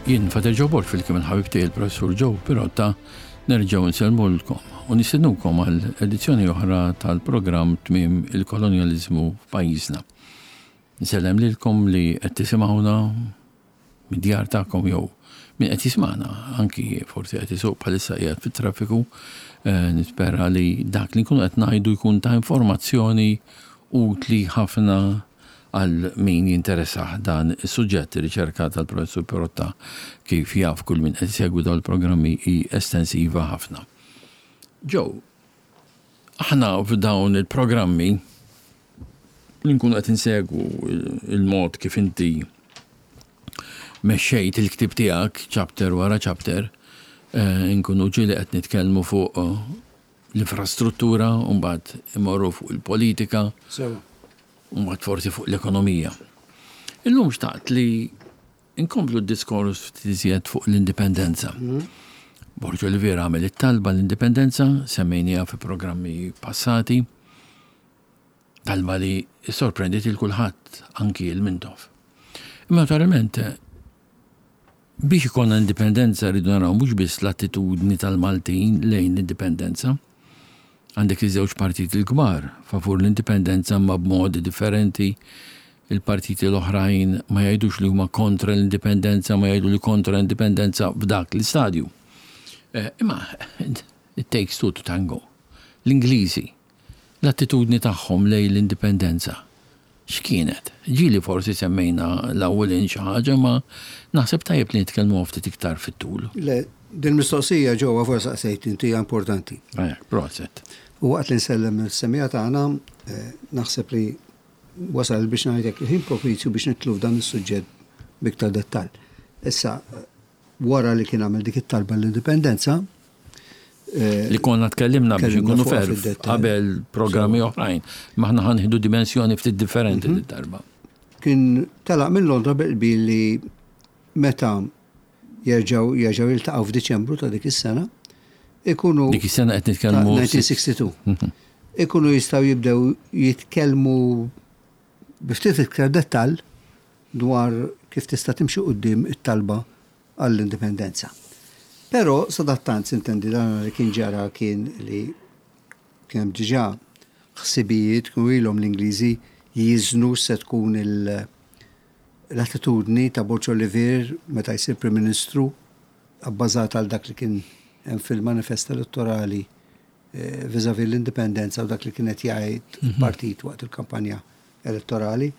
Jien Fater Joe Borg fil-kim il-ħabib tiegħi il-Professur Joe Pirotta nerġgħu nsellmulkom u nistednukom għal edizzjoni oħra tal-programm Tmiem il-Kolonjaliżmu f'pajjiżna. Nsellem lilkom li qed tisimgħuna mid-djar tagħkom jew min qed jismagħna anki forsi qed isuq bħalissa qiegħed fit-traffiku, eh, nispera li dak li nkunu qed ngħidu jkun ta' informazzjoni utli ħafna għal min jinteressah dan is-suġġett. Ir-riċerka tal-Professur Pirotta kif jaf kull min qed isegwi dawn il-programmi hi estensiva ħafna. Joe, aħna f'dawn il-programmi li nkunu qed insegwu il-mod kif inti mexxejt il-ktieb tiegħek chapter wara chapter, eh, nkunu ġieli qed nitkellmu fuq eh, l-infrastruttura, u mbagħad imorru fuq il-politika, u mbagħad forsi fuq l-ekonomija. Illum xtaqt li Inkomplu d-diskors ftit iżjed fuq l-indipendenza. Borg Olivier għamel it-talba l-indipendenza, semmejniha fi programmi passati, talba li sorprendiet il kulħadd, anki il Mintoff. Imma naturalment, biex ikollna indipendenza rridu naraw mhux biss l-attitudni tal-Maltin lejn l-indipendenza. Għandek iż-żewġ partiti l-kbar favur l-indipendenza imma b'modi differenti. Il-partiti l-oħrajn ma jgħidux li huma kontra l-indipendenza, ma jgħidu li kontra l-indipendenza f'dak l-istadju. Eh, imma it takes two to tango. L-Ingliżi, l-attitudni tagħhom lejn l-indipendenza x'kienet? Ġieli forsi semmejna l-ewwel in xi ħaġa ma naħseb tajjeb li nitkellmu ftit iktar fit-tul. Le, din mistoqsija ġewwa forsi saqsejt inti hija importanti. Ajak, proset. U waqt li nsellem is-semija tagħna, eh, naħseb li wasal biex ngħidlek il-ħin propizju biex nitlu f'dan is-suġġett b'iktar dettall. Issa, wara li kien għamel dik it-talba l-indipendenza. Eh, li konna tkellimna biex nkunu ferf qabel programmi oħrajn, maħna ħanħidu dimensjoni ftit differenti mhm. darba. Kien telaq minn Londra bil li meta jerġgħu jerġgħu jiltaqgħu f'Diċembru ta' dik is-sena, ikunu Dik is-sena qed nitkellmu 1962. Mhm. Ikunu jistgħu jibdew jitkellmu bi ftit iktar dettall dwar kif tista' timxi quddiem it-talba għall-indipendenza. Però sadattant sintendi dan li kien ġara kien li kien hemm diġà ħsibijiet kienu ilhom l-Ingliżi jiżnu se tkun l-attitudni ta' Borg Olivier meta jsir Prim Ministru abbażat għal dak li kien hemm fil-manifest elettorali eh, vis-à-vis l-indipendenza u dak li kien qed jgħid mhm. il-partit waqt il-kampanja elettorali.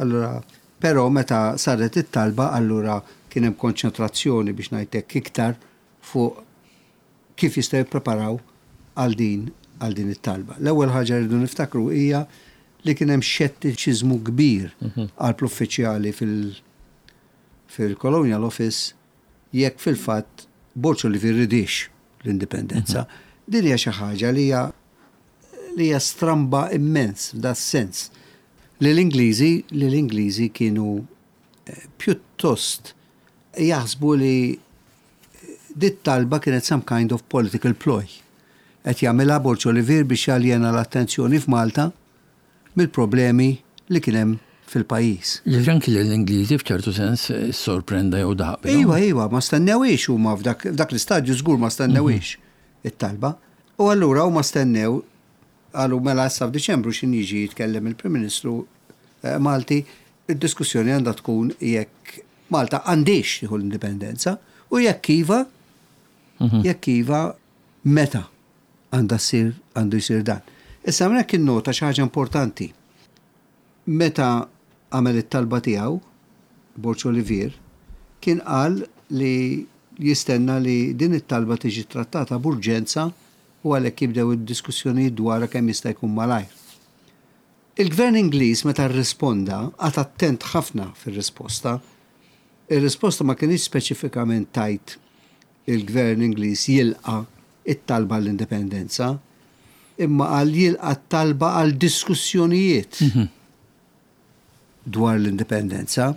Allura, però meta saret it-talba, allura kien hemm konċentrazzjoni biex ngħidlek iktar fuq kif jistgħu jippreparaw għal din għal din it-talba. L-ewwel ħaġa rridu niftakru hija li kien hemm xettiċiżmu kbir mhm. għal uffiċjali fil- fil-Colonial Office jekk fil-fatt Borg Olivier ridix l-indipendenza. Mhm. Din hija xi ħaġa li hija li hija stramba immens f'da sens li l-Ingliżi li l-Ingliżi kienu eh, pjuttost jaħsbu li dit talba kienet some kind of political ploy. Qed jagħmilha Borg Olivier biex jaljena l-attenzjoni f'Malta mill-problemi li kien hemm fil-pajjiż. Jiġifieri anki lill-Ingliżi f'ċertu sens issorprenda jew daħaq bihom. Iva, iva, ma stennewhiex huma f'dak l-istadju żgur ma stennewhiex it-talba. U allura huma stennew qalu mela issa f'Diċembru x'in jiġi jitkellem il-Prim Ministru eh, Malti, id-diskussjoni għandha tkun jekk Malta għandhiex tieħu l-indipendenza u jekk iva, mhm. jekk iva meta għandha ssir għandu jsir dan. Issa hawnhekk innota xi ħaġa importanti. Meta għamel it-talba tiegħu, Borg Olivier, kien qal li jistenna li din it-talba tiġi trattata b'urġenza u għalhekk jibdew id-diskussjonijiet dwarha kemm jista' jkun malajr. Il-Gvern Ingliż meta rrisponda qagħad attent ħafna fir-risposta. Ir-risposta ma kinitx speċifikament tgħid il-Gvern Ingliż jilqa' t-talba għall-indipendenza, imma qal jilqa' t-talba għal diskussjonijiet dwar l-indipendenza.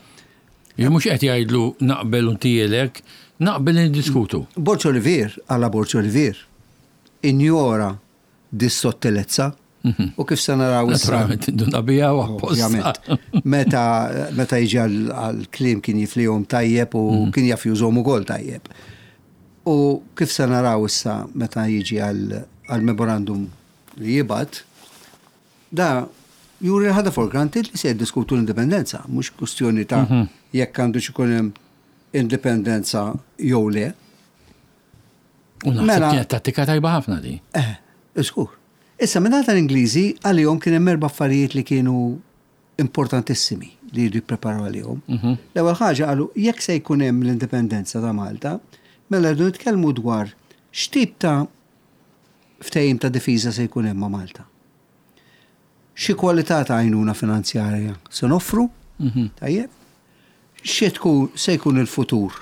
Jien mhux qed jgħidlu naqbel u ntielek, naqbel li niddiskutu. Borg Olivier, għala Borg Olivier, injora dis-sottilezza. U kif se naraw issa. Naturalment induna biha u apposta. Meta meta jiġi għall-kliem kien jiflihom tajjeb u mhm. kien jaf jużhom ukoll tajjeb. U kif se naraw issa meta jiġi għall-memorandum li jibgħat, da juri ħadha for granted li se jiddiskutu l-indipendenza, mhux kwistjoni ta' mhm. jekk għandu ikun hemm indipendenza jew le. U naħseb mela- kienet tattika tajba ħafna di. Eh, żgur. Issa minn tal-Ingliżi għalihom kien hemm erba' affarijiet li kienu importantissimi li jridu jippreparaw għalihom. Mhm. L-ewwel ħaġa qalu jekk se jkun hemm l-indipendenza ta' Malta, mela rridu nitkellmu dwar x'tip ta' ftehim ta' difiża se jkun hemm ma' Malta. Xi kwalità ta' għajnuna finanzjarja se noffru, mhm. tajjeb, xi tkun se jkun il-futur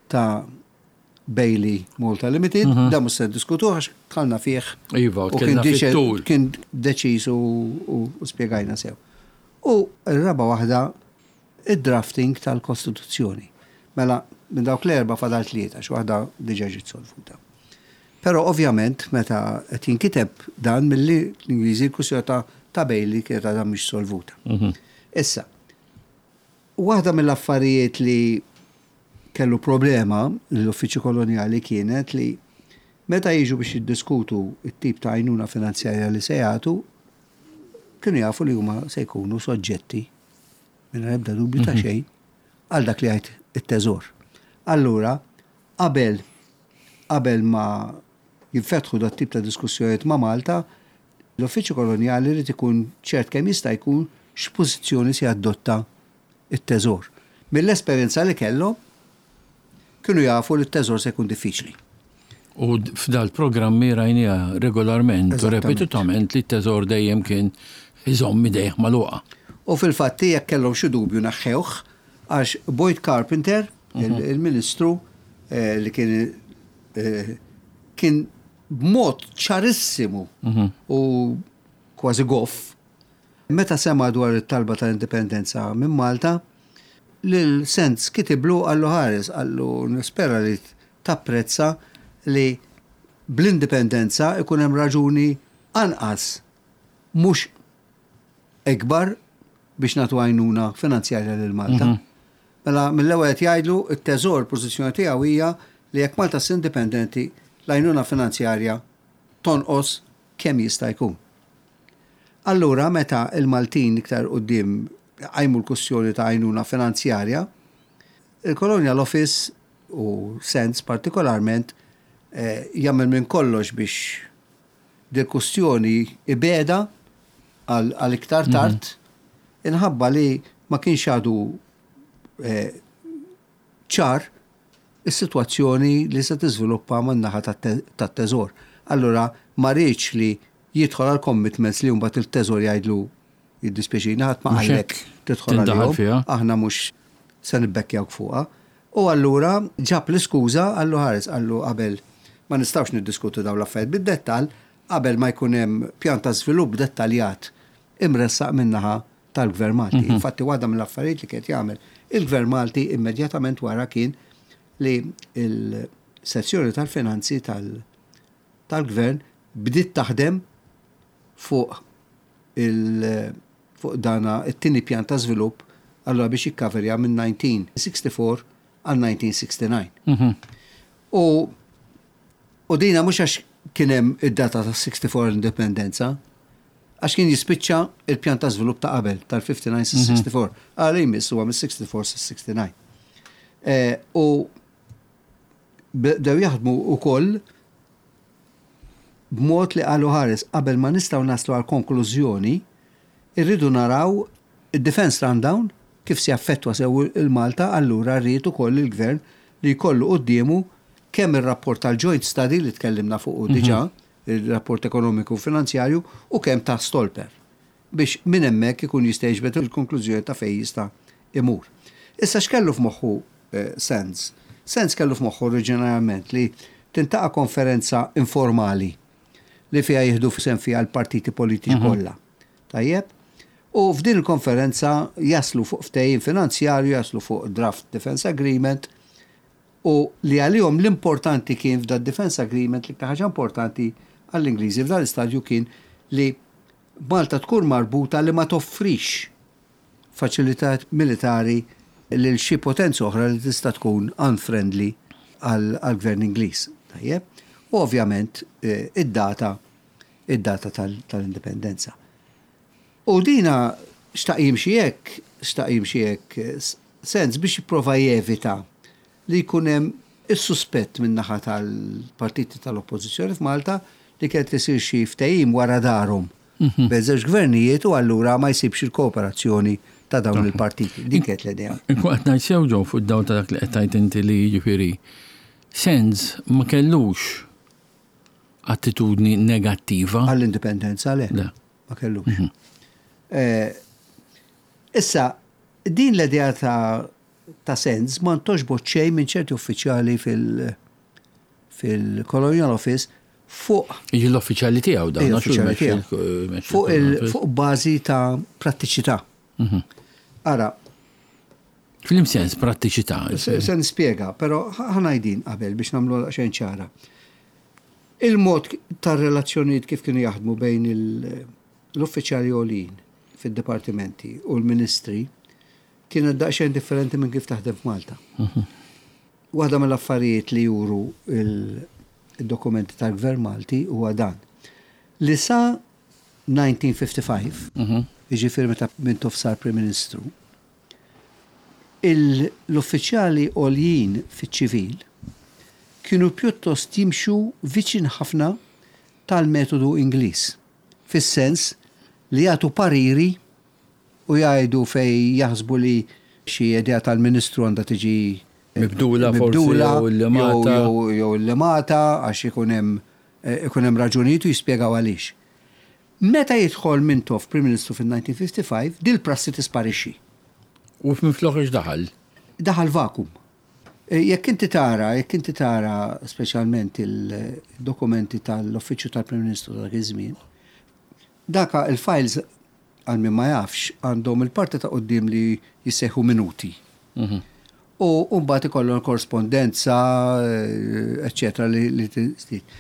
ta' Bailey Malta Limited, mhm. da mhux se diskutu għax tħallna fih. Iva, u kien kien deċiż u spjegajna sew. U r-raba waħda id-drafting tal-Kostituzzjoni. Mela, minn dawk l-erba fadal tlieta, xi waħda diġà ġiet solvuta. Però ovvjament meta qed jinkiteb dan milli l-Ingliżi l-kwistjoni ta' ta' Bailey kienet għadha mhix solvuta. Mhm. Issa, waħda mill-affarijiet li kellu problema l-Uffiċċju Kolonjali kienet li meta jiġu biex jiddiskutu t-tip ta' għajnuna finanzjarja li se jagħtu, kienu jafu li huma se jkunu soġġetti mingħajr ebda dubju ta' mhm. xejn għal dak li jgħid it-teżor. Allura, qabel qabel ma jinfetħu dat tip ta' diskussjonijiet ma' Malta, l-Uffiċċju Kolonjali jrid ikun ċert kemm jista' jkun x'pożizzjoni se jadotta t-teżor. Mill-esperjenza li kellhom, kienu jafu li t-teżor se jkun diffiċli. U f'dal-programmi rajniha regolarment u repetutament li t-teżor dejjem kien iżomm idejh magħluqa. U fil-fatti jekk kellhom xi dubju neħħewh għax Boyd Carpenter, mhm. il-Ministru eh, li kien eh, kien b'mod ċarissimu mhm. u kważi goff Meta sema' dwar it-talba tal-indipendenza minn Malta, lil Sands kitiblu qallu ħares, qallu nispera li tapprezza li bl-indipendenza jkun hemm raġuni anqas mhux ikbar biex nagħtu għajnuna finanzjarja lil Malta. Mela mill-ewwel qed jgħidlu t-teżor pożizzjoni tiegħu hija li jekk Malta ssir indipendenti l-għajnuna finanzjarja tonqos kemm jista' jkun. Allura meta l-Maltin iktar 'il quddiem qajmu l-kwistjoni ta' għajnuna finanzjarja, il-Colonial Office u Sands partikolarment jagħmel minn kollox biex dil-kwistjoni ibegħda għal iktar tard inħabba li ma kienx għadu ċar is-sitwazzjoni li se tiżviluppa man-naħa tat-Teżor. Allura ma riedx li jidħol għal commitments li mbagħad il-Teżor jgħidlu jiddispjaċina ħadd ma qallek tidħol għalihom, aħna mhux se nibbekkjawk fuqha. U allura ġab l-iskuża qallu ħares qallu qabel ma nistgħux niddiskutu dawn l-affarijiet bid-dettall qabel ma jkun hemm pjan ta' żvilupp dettaljat imressaq min-naħa tal-Gvern Malti. Mhm. Infatti waħda mill-affarijiet li kien jagħmel il-Gvern Malti immedjatament wara kien li l-sezzjoni tal-finanzi tal-Gvern bdiet taħdem fuq il fuq dana it-tieni pjan ta' żvilupp allura biex jikkaverja minn 1964 għal 1969. Mhm. U u dina mhux għax kien hemm id-data ta' 64 l-indipendenza, Għax kien jispiċċa il-pjan ta' żvilupp ta' qabel, tal-59 sa 64. Għal jmiss huwa mis-64 sa 69. Eh, u bdew jaħdmu wkoll b'mod li qalu ħares qabel ma nistgħu naslu għal konklużjoni, irridu naraw id-defense rundown kif se jaffettwa sew il-Malta allura rrid ukoll il-gvern li jkollu quddiemu kemm ir-rapport tal-joint study li tkellimna fuqu diġà, ir-rapport ekonomiku u finanzjarju u kemm ta' Stolper biex minn hemmhekk ikun jista' jiġbed il-konklużjoni ta' fejn jista' imur. Issa x'kellu f'moħħu Sands? Sands kellu f'moħħu oriġinarjament li tintaqa' konferenza informali li fiha jieħdu sehem fiha l-partiti politiċi kollha. Tajjeb? U f'din il-konferenza jaslu fuq ftehim finanzjarju, jaslu fuq draft defense agreement, u li għalihom l-importanti kien f'dad defense agreement l-iktar ħaġa importanti għall-Ingliżi f'dan l-istadju kien li Malta tkun marbuta li ma toffrix faċilitajiet militari lil xi potenza oħra li tista' tkun unfriendly għall-gvern Ingliż. Tajjeb? U ovvjament id-data id-data tal-indipendenza. U dina xtaq jimxi hekk, xtaq jimxi hekk sens biex jipprova jevita li jkun hemm is-suspett min-naħa tal-partiti tal-Oppożizzjoni f'Malta li kien qed isir xi ftehim wara darhom bejn żewġ gvernijiet u allura ma jsibx il-kooperazzjoni ta' dawn il-partiti. Din kienet l-idea. Inkun qed ngħid sew Joe fuq id-dawl ta' dak li qed tgħid inti li jiġifieri Sands ma kellux attitudni negattiva. Għall-indipendenza le. Le. Ma kellux. Issa, din l-idea ta' ta' Sands ma ntgħoġbot xejn minn ċerti uffiċjali fil- fil-Colonial Office fuq. Jiġi l-uffiċjali tiegħu dan. L-uffiċjali tiegħu. Fuq fuq bażi ta' prattiċità. Mhm. Ara. Flim sens prattiċità. Se nispjega, però ħanajdin qabel biex nagħmlu xejn ċara. Il-mod tar-relazzjonijiet kif kienu jaħdmu bejn l-uffiċjali għolin fid-dipartimenti u l-ministri kienet daqsxejn differenti minn kif taħdem f'Malta. Mhm. Waħda mill-affarijiet li juru il-dokumenti tal-Gvern Malti huwa dan. Li sa 1955, mhm. jiġifieri meta Mintoff sar Prim Ministru, l-uffiċjali għoljin fiċ-ċivil kienu pjuttost jimxu viċin ħafna tal-metodu Ingliż, fis-sens li jagħtu pariri u jgħidu fejn jaħsbu li xi idea tal-Ministru għandha tiġi mibdula forsi jew illimata jew illimata għax ikun hemm ikun hemm raġunijiet u jispjegaw għaliex. Meta jidħol Mintoff Prim Ministru fin-1955, dil-prassi tisparixxi. U minflok x'daħal? Daħal vakum. Jekk inti tara, jekk inti tara speċjalment il-dokumenti tal-Uffiċċju tal-Prim Ministru ta' dak iż-żmien, Daka il-files għal min ma jafx għandhom il-parti ta' quddiem li jissejħu minuti. Mhm. U mbagħad ikollhom korrespondenza, eċċetera li tiżdied.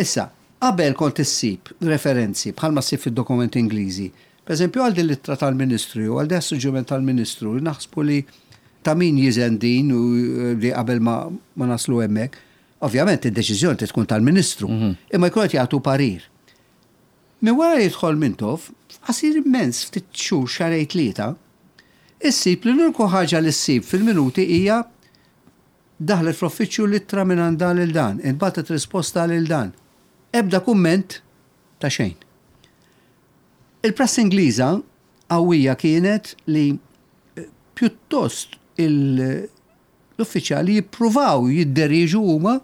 Issa, qabel kont issib referenzi bħalma ssib fid-dokumenti Ingliżi. Per eżempju, għal din l-ittra tal-Ministru jew għal dan is-suġġeriment tal-Ministru li naħsbu li ta' min jiżen din u li qabel ma naslu hemmhekk. Ovvjament id-deċiżjoni trid tkun tal-Ministru, mhm. imma jkun qed jagħtu parir. Minn wara li jidħol Mintoff, f'qasir immens, ftit xhur, xahrejn tlieta, issib li l-uniku ħaġa li ssib fil-minuti hija daħlet fl-uffiċċju l-ittra mingħand dan lil dan, intbagħtet risposta lil dan. Ebda kumment ta' xejn. Il-prassi Ingliża qawwija kienet li pjuttost l-uffiċjali jippruvaw jidderieġu huma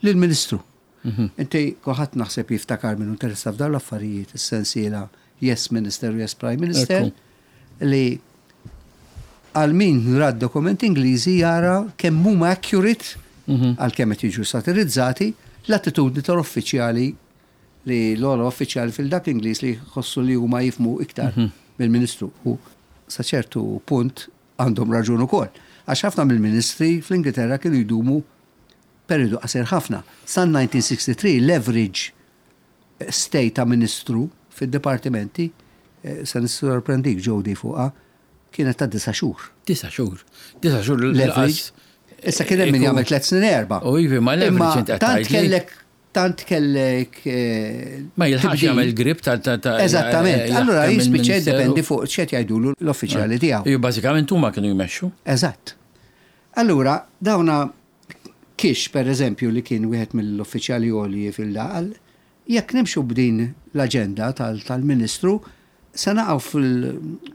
lill-Ministru. Inti kulħadd naħseb jiftakar min hu interessat f'dawn l-affarijiet is-sensiela Yes Minister u Yes Prime Minister li għal min ra d-dokumenti Ingliżi jara kemm huma accurate mhm. għalkemm qed jiġu satirizzati l-attitudni tal-uffiċjali li l-ogħla uffiċjali fil-dak Ingliż li jħossu li huma jifmu iktar mhm. mill-Ministru. U sa ċertu punt għandhom raġun ukoll. Għax ħafna mill-ministri fl-Ingilterra kienu jdumu Perjodu qasir ħafna. Sal-1963 l-average stay ta' ministru fid-dipartimenti, se nissorprendik Jody fuqha, kienet ta' disa' xhur. Disa' xhur. Disa' xhur l-average. Issa kien hemm min jagħmel tliet snin erba'. U ivi ma l-average inti tant kellek tant kellek. Ma jilħaqx jagħmel grip ta' ta' Eżattament. Allura jispiċċa jiddependi fuq x'qed jgħidulu l-uffiċjali tiegħu. Bażikament huma kienu jmexxu. Eżatt. Allura dawna Kish, per eżempju, li kien wieħed mill-uffiċjali għolji fil-, jekk nimxu b'din l-aġenda tal-Ministru, se naqgħu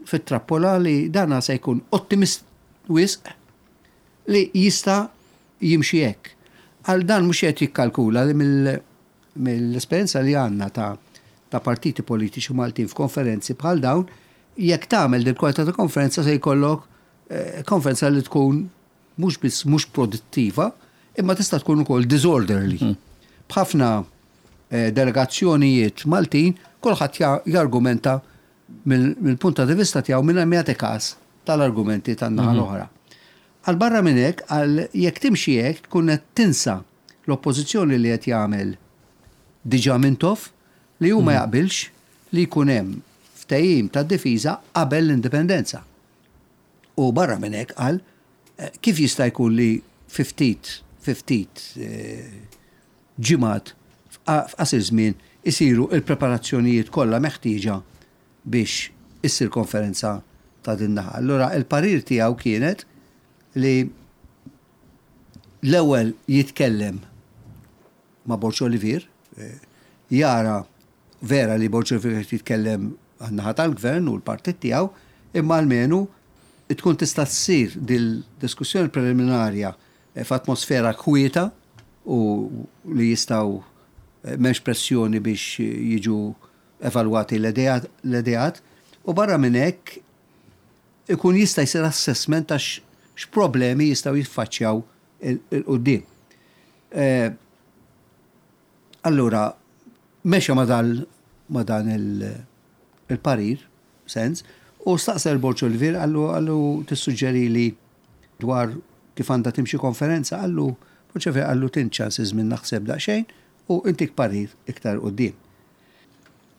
fit-trappola li dana se jkun ottimist wisq li jista' jimxi hekk. Għal dan mhux qed jikkalkula li mill-esperjenza li għandna ta' partiti politiċi Maltin f'konferenzi bħal dawn, jekk tagħmel din kwalità ta' konferenza se jkollok eh, konferenza li tkun mhux biss mhux produttiva, imma tista' tkun ukoll disorderly. Hmm. B'ħafna eh, delegazzjonijiet Maltin, kulħadd jargumenta mill-punt ta' vista tiegħu minn ma jagħti każ tal-argumenti tan-naħa mhm. l-oħra. Għal barra minn hekk, għal jekk timxi hekk tkun qed tinsa l-oppożizzjoni li qed jagħmel diġà Mintoff li hu ma mhm. jaqbilx. li jkun hemm ftehim ta' difiża qabel l-indipendenza. U barra minn hekk qal kif jista' jkun li fi ftit fi ftit ġimgħat f'qasir żmien isiru l-preparazzjonijiet kollha meħtieġa biex issir konferenza ta' din naħa. Allura il-parir tiegħu kienet li l-ewwel jitkellem ma' Borg Olivier, jara vera li Borg Olivier qed jitkellem għan-naħa tal-gvern u l-partit tiegħu, imma almenu tkun tista' ssir dil-diskussjoni preliminarja f'atmosfera kwieta u li jistgħu m'hemmx pressjoni biex jiġu evalwati l-ideat u barra minn hekk ikun jista' jsir assessment ta' x'problemi jistgħu jiffaċċjaw 'il quddiem. Allura mexa ma' dal ma' dan il-parir, sens, u staqsa lil Borg Olivier qallu qallu tissuġġerili dwar kif għandha timxi konferenza qallu Borg Olivier qallu tint ċans iż-żmien naħseb daqsxejn u intik parir iktar 'il quddiem.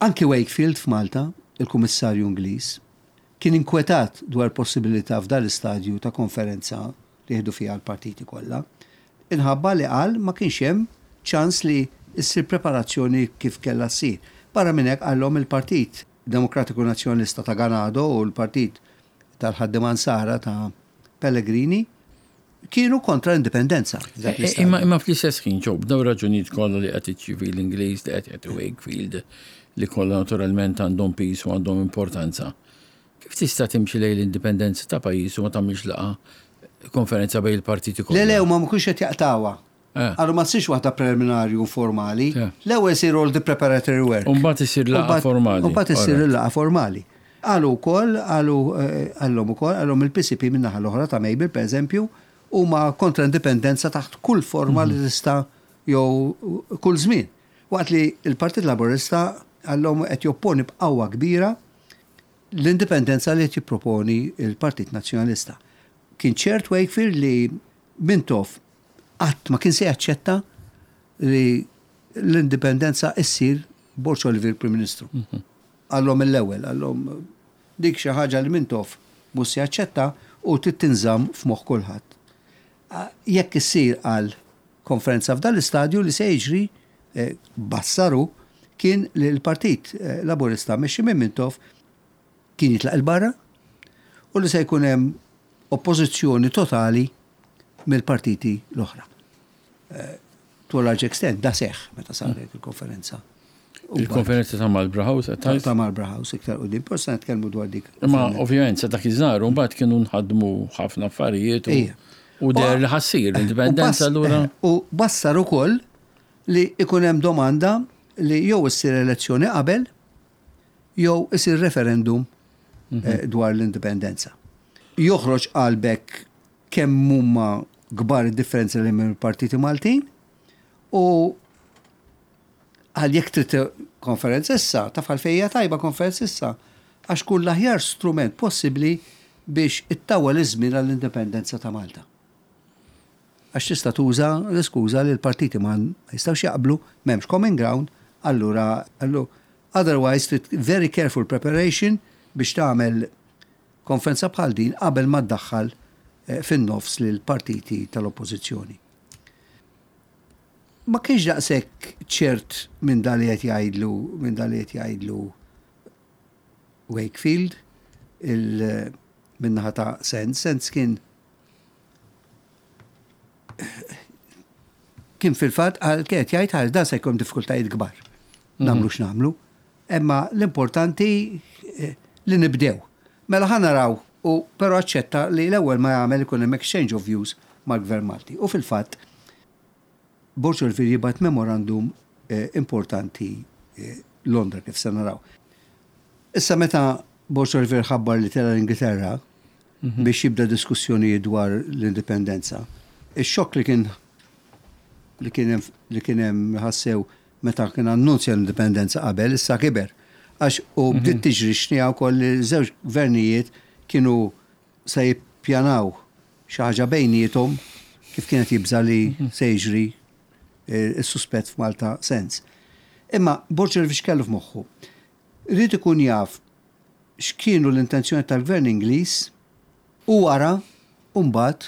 Anki Wakefield f'Malta, il-Kummissarju Ingliż, kien inkwetat dwar il-possibilità f'dan l-istadju ta' konferenza li jieħdu fiha l-partiti kollha, inħabba li qal ma kienx hemm ċans li ssir preparazzjoni kif kellha ssir. Barra minn hekk qallhom il-Partit Demokratiku Nazzjonalista ta' Ganado u l-Partit tal-Ħaddiema Nsara ta' Pellegrini kienu kontra l-indipendenza. Imma imma fl-istess ħin ġew b'daw raġunijiet kollha li qed iċ-ċivil Ingliż li qed jagħti Wakefield li kollha naturalment għandhom piż u għandhom importanza. Kif tista' timxi lejn l-indipendenza ta' pajjiż u ma tagħmilx laqgħa konferenza bejn il-partiti kollha? Le le huma ma kienux qed jaqtgħuha. Qalu ma ssirx waħda preliminari u formali. L-ewwel isir all the preparatory work. U mbagħad isir laqgħa formali. U mbagħad issir il-laqgħa formali. Qalu wkoll, qalu qallhom ukoll, qallhom il-PCP min-naħa l-oħra ta' Mabel pereżempju, huma kontra indipendenza taħt kull forma li tista' jew kull żmien. Waqt li l-Partit Laburista qallhom qed jopponi b'qawwa kbira l-indipendenza li qed jipproponi l-Partit Nazzjonalista. Kien ċert Wakefield li Mintoff qatt ma kien se jaċċetta li l-indipendenza issir Borg Olivier Prim Ministru. Qallhom mill-ewwel, qallhom dik xi ħaġa li Mintoff mhux se jaċċetta u trid tinżamm f'moħħ kulħadd. Jekk issir qal konferenza f'dan l-istadju li se jiġri, bassar hu, kien li l-Partit Laburista mmexxi minn Mintoff kien jitlaq 'il barra u li se jkun hemm oppożizzjoni totali mill-partiti l-oħra. To a large extent da seħħ meta saret il-konferenza. Il-konferenza ta' Marlborough House qed tgħid? Ta' Marlborough House iktar quddiem, però se nitkellmu dwar dik. Imma ovvjament sa dak iż-żar mbagħad kienu nħadmu ħafna affarijiet u deher li ħassir l-indipendenza allura. U bassar ukoll li ikun hemm domanda li jew issir elezzjoni qabel jew isir referendum dwar l-indipendenza. Joħroġ qalbek kemm huma kbar id-differenzi li hemm il-partiti Maltin u Qal jekk trid konferenza issa, taf għalfejn hija tajba konferenza issa? Għax tkun l-aħjar strument possibbli biex ittawwal iż-żmien għall-indipendenza ta' Malta. Għax tista' tuża l-iskuża li l-partiti ma jistgħux jaqblu, m'hemmx common ground, allura otherwise trid very careful preparation biex tagħmel konferenza bħal din qabel ma ddaħħal fin-nofs lill-partiti tal-oppożizzjoni. Ma kienx daqshekk ċert minn dan li qed jgħidlu minn dan li qed jgħidlu Wakefield il min-naħa ta' Sands. Sands kien kien fil-fatt għal kien qed jgħid għal dan se jkun diffikultajiet kbar. Mhm. Nagħmlu x'nagħmlu. Imma l-importanti eh, li nibdew. Mela ħa naraw u però aċċetta li l-ewwel ma jagħmel ikun hemm exchange of views mal-Gvern Malti. U fil-fatt Borg Olivier jibgħat memorandum importanti Londra kif se naraw. Issa meta Borg Olivier ħabbar li tela' l-Ingilterra biex jibda diskussjonijiet dwar l-indipendenza, ix-xokk li kien li kien li kien hemm ħassew meta kien annunzja l-indipendenza qabel issa kiber. Għax u bdiet tiġri xniegħa wkoll li żewġ gvernijiet kienu se jippjanaw xi ħaġa bejniethom kif kien qed jibża' li se jiġri s-suspett f'Malta Sands. Imma Borg Olivier x'kellu f'moħħu? Ried ikun jaf x'kienu l-intenzjoni tal-Gvern Ingliż u wara mbagħad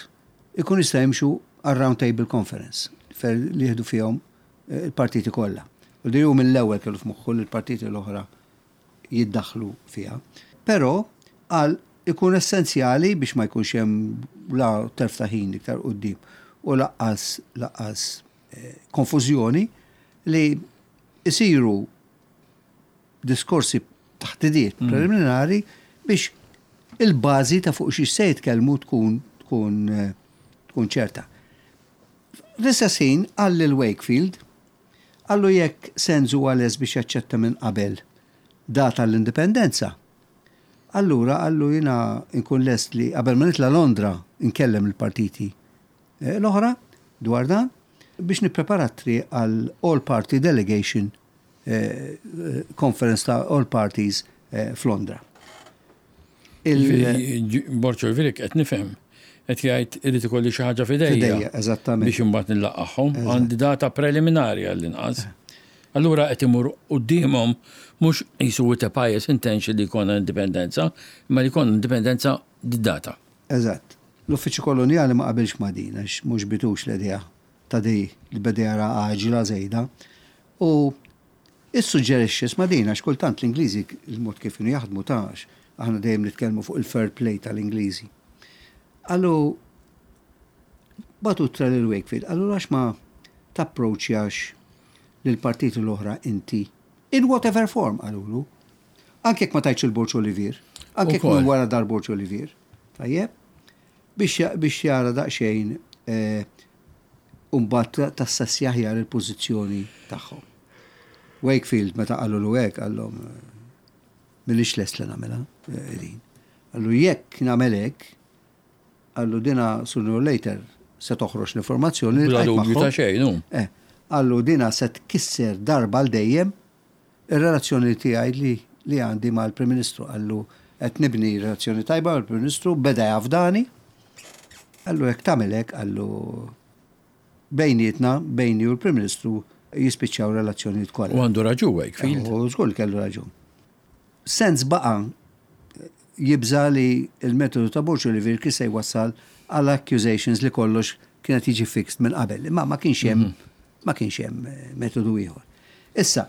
ikun jista' jimxu għar-Round Table Conference fer li jieħdu fihom il-partiti kollha. U di hu mill-ewwel kellu f'moħħu li l-partiti l-oħra jiddaħħlu fiha. Però qal ikun essenzjali biex ma jkunx hemm la telf ta' ħin iktar quddiem u laqqas laqqas konfużjoni li jsiru diskorsi taħdidiet preliminari biex il-bażi ta' fuq xiex se jitkellmu tkun tkun tkun ċerta. Fl-istess ħin qal lil Wakefield, qallu jekk Sands huwa lest biex jaċċetta minn qabel data l-indipendenza, allura qallu jiena nkun lest li qabel ma nitla' Londra nkellem lill-partiti l-oħra dwar dan biex nipprepara t-triq għal All Party Delegation Conference ta' All Parties f'Londra. Borg Olviric qed nifhem qed jgħid irid ikolli xi ħaġa f'idejja. F'idejja, eżattament. Biex imbagħad nillaqgħhom. Għandi data preliminari għall-inqas. Allura qed imur quddiemhom mhux qisu with a pious intention li jkollna indipendenza, imma li jkollna indipendenza d-data. Eżatt. L-Uffiċċju Kolonjali ma qabilx ma' din għax m'għoġbitux l-idea ta' di li beda jara għaġla żejda u issuġġerixxa, isma' din għax kultant l-Ingliżi il-mod kif kienu jaħdmu ta' għax aħna dejjem nitkellmu fuq il-fair play tal-Ingliżi. Qallu bagħtu ittra lil Wakefield, qallu għax ma tapproċċjax lill-partiti l-oħra inti in whatever form qalulu. Anke jekk ma tajtx il-Borġ Olivier, anke jekk minn wara dar Borġ Olivier. Tajjeb? Biex biex jara daqsxejn eh, u mbagħad tassessja aħjar il-pożizzjoni tagħhom. Wakefield meta qalulu hekk qallhom m'iniex lest li nagħmilha eh, din. Qallu jekk nagħmel hekk, qallu dina sooner or later se toħroġ l-informazzjoni li Bla dubju ta' xejn, hu. Eh, qallu dina se tkisser darba għal dejjem ir-relazzjoni tiegħi li li għandi mal-Prim Ministru. Qallu qed nibni relazzjoni tajba mal-Prim Ministru, beda jafdani. Qallu jekk tagħmel hekk, qallu bejnietna, bejni u l-Prim Ministru jispiċċaw relazzjonijiet kollha. U għandu raġun Wakefield. U żgur li kellu raġun. Sens baqa' jibża' li l-metodu ta' Borg Olivier kien se jwassal għal accusations li kollox kien qed jiġi fixed minn qabel. Imma ma kienx hemm ma kienx hemm metodu ieħor. Issa,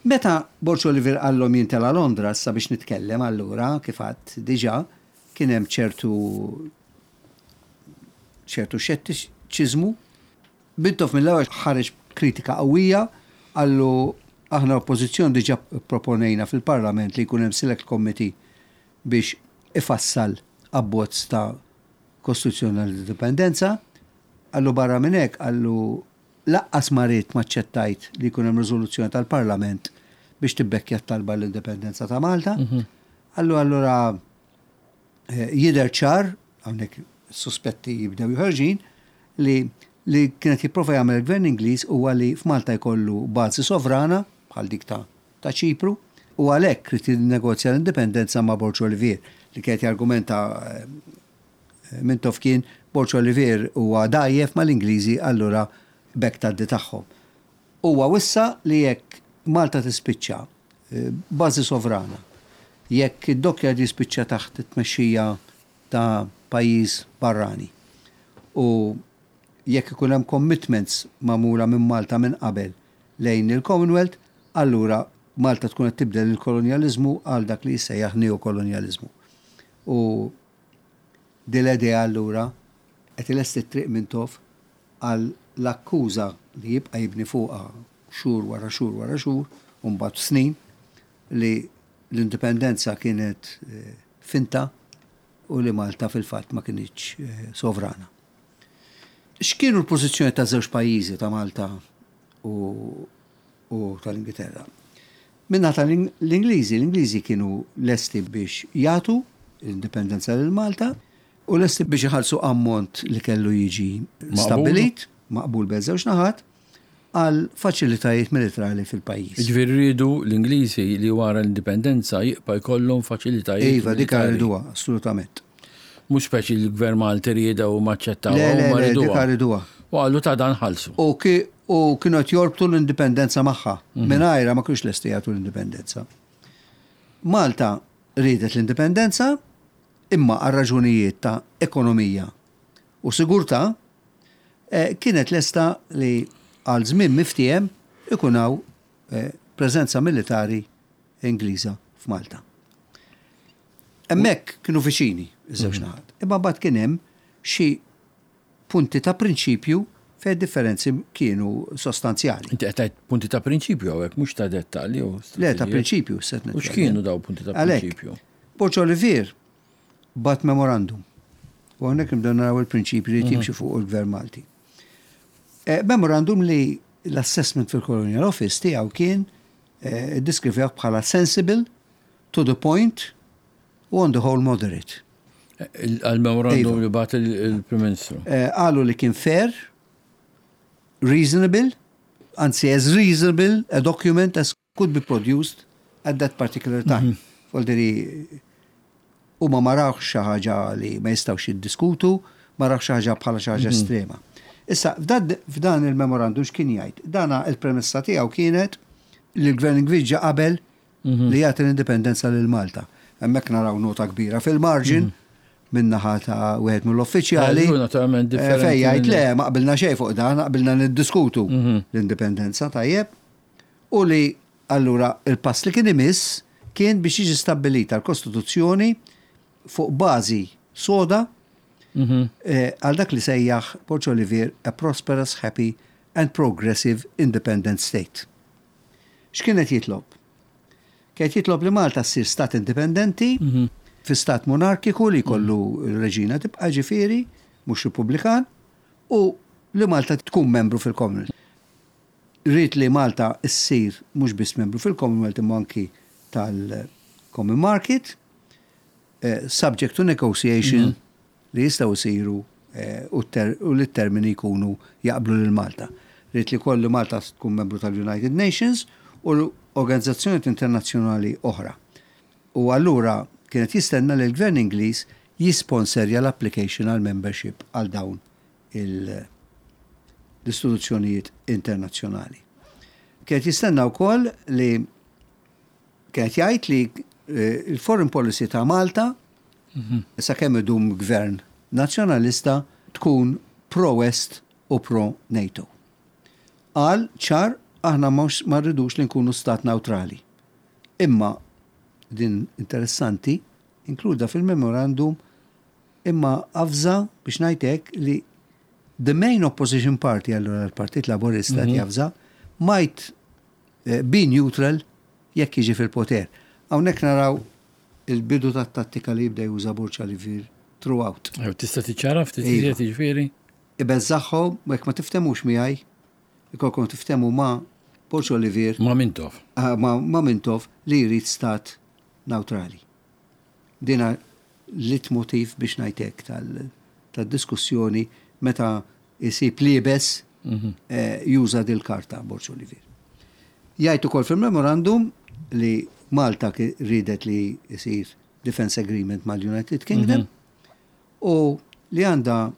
meta Borg Olivier qallhom jien tela' Londra issa biex nitkellem allura kif għedt diġà kien hemm ċertu ċertu xettiċiżmu. Mintoff mill-ewwel ħareġ b'kritika qawwija, qallu aħna l-Oppożizzjoni diġà pproponejna fil-Parlament li jkun hemm Select Committee biex ifassal abbozz ta' Kostituzzjoni għall-Indipendenza. Qallu barra minn hekk, qallu laqqas ma ridt m'aċċettajt li jkun hemm riżoluzzjoni tal-Parlament biex tibbekkja t-talba għall-Indipendenza ta' Malta. Qallu allura Jidher ċar, hawnhekk is-suspetti jibdew joħorġin, li li kien qed jipprova jagħmel il-Gvern Ingliż huwa li f'Malta jkollu bażi sovrana, bħal dik ta' ta' Ċipru, u għalhekk ried jinnegozja l-indipendenza ma' Borg Olivier, li kien qed jargumenta Mintoff kien Borg Olivier huwa dgħajjef mal-Ingliżi allura b'hekk tgħaddi tagħhom. Huwa wissa li jekk Malta tispiċċa b'bażi sovrana, jekk id-dockyard jispiċċa taħt it-tmexxija ta' pajjiż barrani u jekk ikun hemm commitments magħmula minn Malta minn qabel lejn il-Commonwealth, allura Malta tkun qed tibdel il-kolonjaliżmu għal dak li jissejjaħ neo-kolonjaliżmu. U din l-idea allura qed ilesti t-triq Mintoff għal l-akkuża li jibqa' jibni fuqha xhur wara xhur wara xhur u mbagħad snin li l-indipendenza kienet finta u li Malta fil-fatt ma kinitx sovrana. X'kienu l-pożizzjoni ta' żewġ pajjiżi ta' Malta u, u tal-Ingilterra? Minna tal-Ingliżi, l-Ingliżi kienu lesti biex jagħtu l-indipendenza lil Malta u lesti biex iħallsu ammont li kellu jiġi stabbilit, maqbul bejn żewġ naħat, għal faċilitajiet militrali fil-pajjiż. Jiġifieri riedu l-Ingliżi li wara l-indipendenza jibqa' jkollhom faċilitajiet militari. Iva, dik riduha, assolutament. Mhux speċi l-Gvern Malti riedha u ma aċċettawha. Le, le, le, dik riduha. U qalu ta' dan ħallsu. U kienu qed jorbtu l-indipendenza magħha. Mingħajrha ma kinux lesti jagħtu l-indipendenza. Malta riedet l-indipendenza imma għal raġunijiet ta' ekonomija u sigurtà kienet lesta li għal żmien miftiehem ikun hawn preżenza militari Ingliża f'Malta. Hemmhekk kienu viċini iż-żewġ naħat. Imma mbagħad kien hemm xi punti ta' prinċipju fejn differenzi kienu sostanzjali. Inti qed tgħid punti ta' prinċipju hawnhekk mhux ta' dettalji u Le, ta' prinċipju se U x'kienu daw punti ta' prinċipju? Borg Olivier bagħat memorandum. U hawnhekk nibdew naraw il-prinċipju li jimxi fuq il-Gvern Malti. Memorandum li l-assessment fil-Colonial Office tiegħu kien iddiskrivewh bħala sensible, to the point u on the whole moderate. Għal-memorandum iva. li bagħat il-Prim Ministru. Qalu li kien fair, reasonable, anzi as reasonable a document as could be produced at that particular time. Voldiri, huma ma rawx xi ħaġa li ma jistgħux jiddiskutu, ma rawx xi ħaġa bħala xi ħaġa estrema. Issa, f'dan il-memorandum x'kien jgħid? Dana il-premessa tiegħu kienet li l-Gvern Ingliż ġa qabel li jagħti l-indipendenza lil Malta. Hemmhekk naraw nota kbira fil-margin min-naħa ta' wieħed mill-uffiċjali. Naturalment differenti. Fejn jgħid le, ma qbilna xejn fuq dan, qbilna niddiskutu l-indipendenza, tajjeb. U li allura il-pass li kien imiss kien biex jiġi stabbilita l-Kostituzzjoni fuq bażi soda għal dak li sejjaħ Borg Olivier a prosperous, happy and progressive independent state. X'kien qed jitlob? Kien qed jitlob li Malta ssir stat indipendenti, fi stat monarkiku li jkollu r-reġina tibqa' ġifieri, mhux repubblikan, u li Malta tkun membru fil-Commonwealth. Ried li Malta ssir mhux biss membru fil-Commonwealth imma anki tal-Common Market, subject to negotiation li jistgħu jsiru u li t-termini jkunu jaqblu lil Malta. Ried li wkoll li Malta tkun membru tal-United Nations u organizzazzjonijiet internazzjonali oħra. U allura kien qed jistenna li l-Gvern Ingliż jisponserja l-application għal membership għal dawn l-istituzzjonijiet internazzjonali. Kien qed jistenna wkoll li kien qed jgħid li l-foreign policy ta' Malta sakemm idum gvern nazzjonalista tkun pro-West u pro-NATO. Qal ċar aħna ma rridux li nkunu stat newtrali. Imma din interessanti inkluda fil-memorandum imma avża biex ngħid hekk li the main opposition party allura l-Partit Laburista qed javża might be neutral jekk jiġi fil-poter. Hawnhekk naraw il-bidu tat-tattika li jibda juża Borg Olivier throughout. Tista' tiċċara ftit iżjed jiġifieri? Ibeżżagħhom u jekk ma tiftemux miegħi, ikolkom tiftehmu ma' Borg Olivier. Ma' Mintoff. Ma' Mintoff li jrid stat newtrali. Dina leitmotiv biex ngħid hekk tad-diskussjoni meta jsib liebes juża dil-karta Borg Olivier. Jgħid ukoll fil-memorandum li Malta riedet li jsir defense agreement mal-United Kingdom u li għandha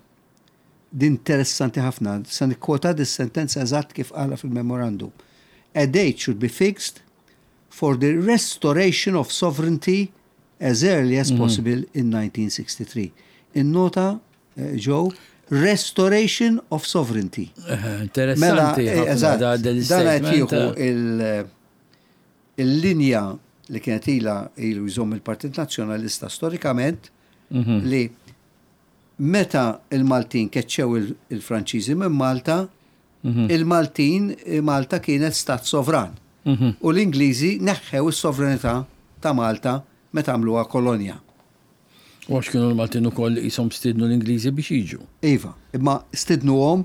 din interessanti ħafna, se nikkwota dis-sentenza eżatt kif qalha fil-memorandum. A date should be fixed for the restoration of sovereignty as early as possible in 1963. Innota, Joe, restoration of sovereignty. Interessanti. Mela, eżatt, dan qed jieħu il-linja li kienet ilha ilu jżomm il-Partit Nazzjonalista storikament li meta il-Maltin keċċew il-Franċiżi minn Malta, il-Maltin, Malta kienet stat sovran. U l-Ingliżi neħħew is-sovranità ta' Malta meta għamluha kolonja. U għax kienu l-Maltin ukoll li qishom stiednu l-Ingliżi biex jiġu. Iva, imma stidnuhom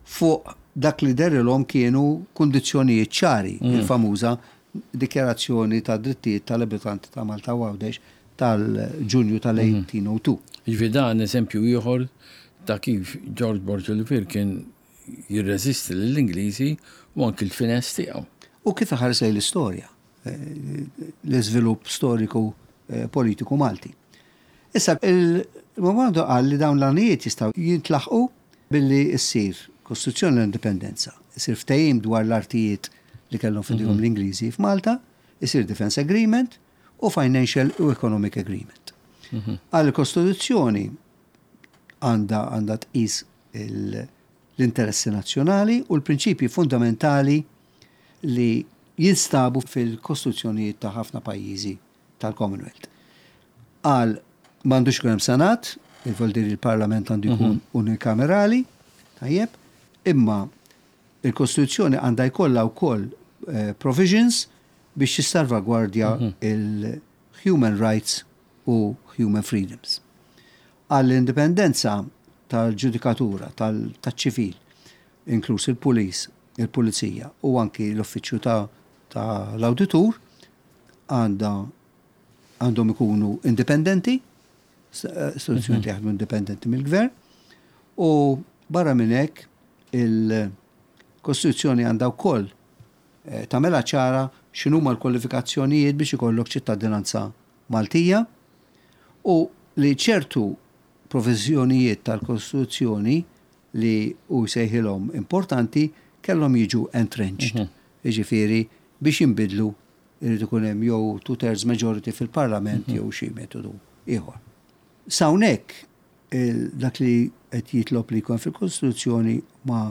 fuq dak li dehrilhom kienu kundizzjonijiet ċari, il-famuża Dikjarazzjoni tad-Drittijiet tal-Abitanti ta' Malta u Għawdex tal-Ġunju tal-1802. Jiġifieri dan eżempju ieħor ta' kif George Borg Olivier kien jirreżisti lill-Ingliżi u anki l-finesse tiegħu. U kif iħares lejn l-istorja, l-iżvilupp storiku politiku Malti. Issa, il-memorandum qal li dawn l-għanijiet jistgħu jintlaħqu billi ssir Kostituzzjoni l-Indipendenza, isir ftehim dwar l-artijiet li kellhom f'idejhom l-Ingliżi f'Malta, isir Defence Agreement u Financial u Economic Agreement. Għal il-Kostituzzjoni għandha għandha tqis l-interessi nazzjonali u l-prinċipji fundamentali li jinstabu fil-kostituzzjonijiet ta' ħafna pajjiżi tal-Commonwealth. Qal m'għandux ikun hemm senat, il-vuol il-Parlament għandu jkun unikamerali, tajjeb, imma il-Kostituzzjoni għandha jkollha wkoll provisions biex tissalvagwardja il-human rights u human freedoms. Għall-indipendenza tal-ġudikatura, tal-ċivil, inkluż il-pulis, il-pulizija u anki l-uffiċċju tal-awditur għandha għandhom ikunu indipendenti, istituzzjoni li jaħdmu indipendenti mill-gvern, u barra minn hekk il-Kostituzzjoni għandha wkoll tagħmilha ċara x'inhuma l-kwalifikazzjonijiet biex ikollok ċittadinanza Maltija u li ċertu proviżjonijiet tal-Kostituzzjoni li hu jsejħilhom importanti kellhom jiġu entrenched. Jiġifieri biex jinbidlu irid ikun hemm jew two-thirds majority fil-Parlament jew xi metodu ieħor. S'hawnhekk dak li qed jitlob li jkun fil-Kostituzzjoni ma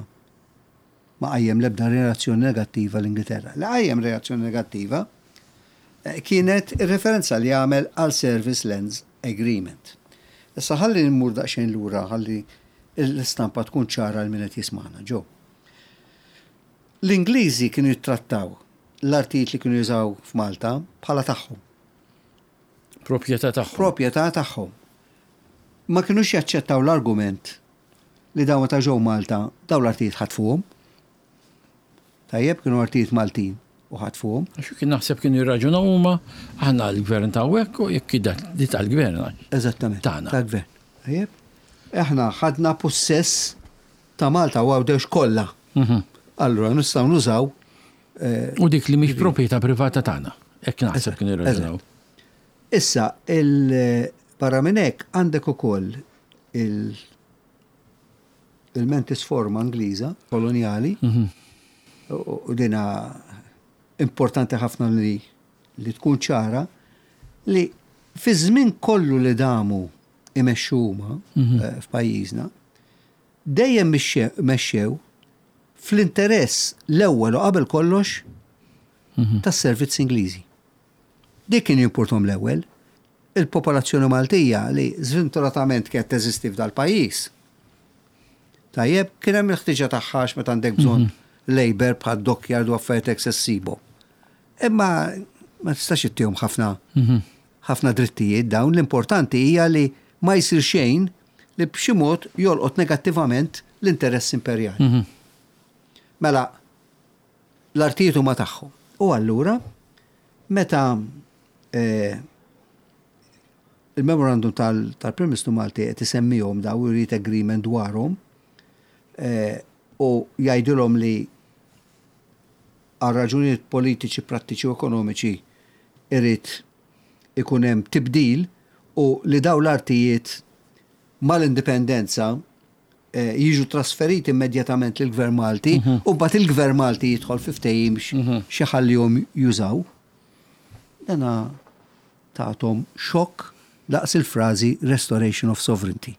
qajjem l-ebda reazzjoni negattiva l-Ingilterra. Li qajjem reazzjoni negattiva kienet ir-referenza li għamel għal Service Lands Agreement. Issa ħalli nmur daqsxejn lura ħalli l-istampa tkun ċara għal min qed jismagħna, Joe. L-Ingliżi kienu jittrattaw l-artijiet li kienu jużaw f'Malta bħala tagħhom. Proprjetà tagħhom. Proprjetà tagħhom. Ma kinux jaċċettaw l-argument li dawn meta ġew Malta dawn l-artijiet ħatfuhom. Tajjeb, kienu artijiet Maltin u ħatfuhom. Għax kien naħseb kienu jirraġunaw huma aħna l-gvern ta' hawnhekk u jekk di tal-gvern. Eżattament. Tagħna. Tal-gvern. Tajjeb. Aħna ħadna possess ta' Malta u Għawdex kollha. Allura nistgħu nużaw U dik li mhix proprjetà privata tagħna. Hekk naħseb kienu jirraġunaw. Issa, barra minn hekk għandek ukoll il-mentis forma Ingliża kolonjali u dina importanti ħafna li tkun ċara li fi żmien kollu li damu imexxu huma f'pajjiżna, dejjem mexxew fl-interess l-ewwel u qabel kollox tas-servizz Ingliżi. Dik kien jimportom l-ewwel. Il-popolazzjoni Maltija li żventuratament kienet teżisti f'dal-pajjiż. Tajjeb, kien hemm il-ħtiġa tagħha għax meta għandek bżonn labor bħal dockyard u affarijiet hekk se ssibhom. Imma ma tistax ittihom ħafna ħafna drittijiet dawn, l-importanti hija li ma jsir xejn li b'xi mod jolqot negattivament l-interess imperjali. Mela, l-artijiet huma tagħhom. U allura, meta il-memorandum tal-Prim Ministru Malti qed isemmihom daw irid agreement dwarhom u jgħidilhom li għal raġunijiet politiċi, prattiċi u ekonomiċi irid ikun hemm tibdil u li daw l-artijiet mal-indipendenza jiġu trasferiti immedjatament lill-Gvern Malti u mbagħad il-Gvern Malti jidħol fi ftehim xi ħallihom jużaw. Dana tagħtom xokk daqs il-frażi restoration of sovereignty.